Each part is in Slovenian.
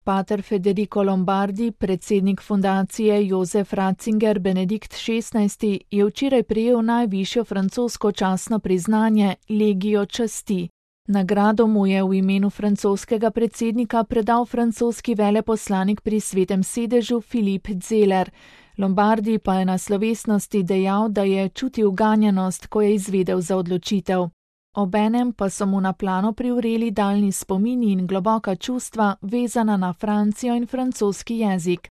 Pater Federico Lombardi, predsednik fundacije Josef Ratzinger Benedikt XVI, je včeraj prejel najvišjo francosko častno priznanje Legio časti. Nagrado mu je v imenu francoskega predsednika predal francoski veleposlanik pri Svetem sedežu Philippe Zeller. Lombardi pa je na slovesnosti dejal, da je čutil ganjenost, ko je izvedel za odločitev. Obenem pa so mu na plano privreli daljni spomini in globoka čustva, vezana na Francijo in francoski jezik.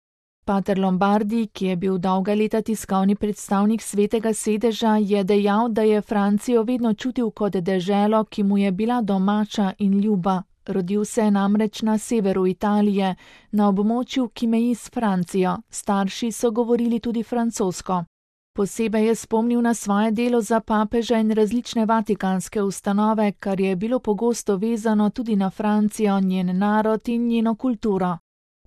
Pater Lombardi, ki je bil dolga leta tiskovni predstavnik Svetega sedeža, je dejal, da je Francijo vedno čutil kot deželo, ki mu je bila domača in ljuba. Rodil se je namreč na severu Italije, na območju, ki meji s Francijo. Starši so govorili tudi francosko. Posebej je spomnil na svoje delo za papeža in različne vatikanske ustanove, kar je bilo pogosto vezano tudi na Francijo, njen narod in njeno kulturo.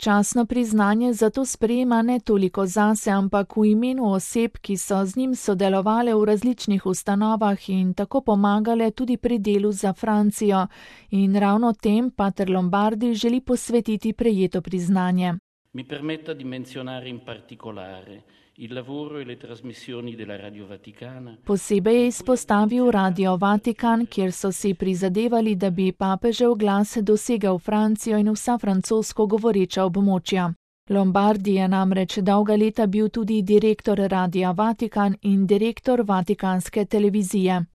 Častno priznanje zato sprejema ne toliko zase, ampak v imenu oseb, ki so z njim sodelovale v različnih ustanovah in tako pomagale tudi pri delu za Francijo. In ravno tem pater Lombardi želi posvetiti prejeto priznanje. Mi permetta di menzionare in particolare il lavoro e le trasmissioni della Radio Vaticana. Posebej je izpostavil Radio Vatikan, kjer so si prizadevali, da bi papežev glas dosegel Francijo in vsa francosko govoreča območja. Lombardi je namreč dolga leta bil tudi direktor Radia Vatikan in direktor Vatikanske televizije.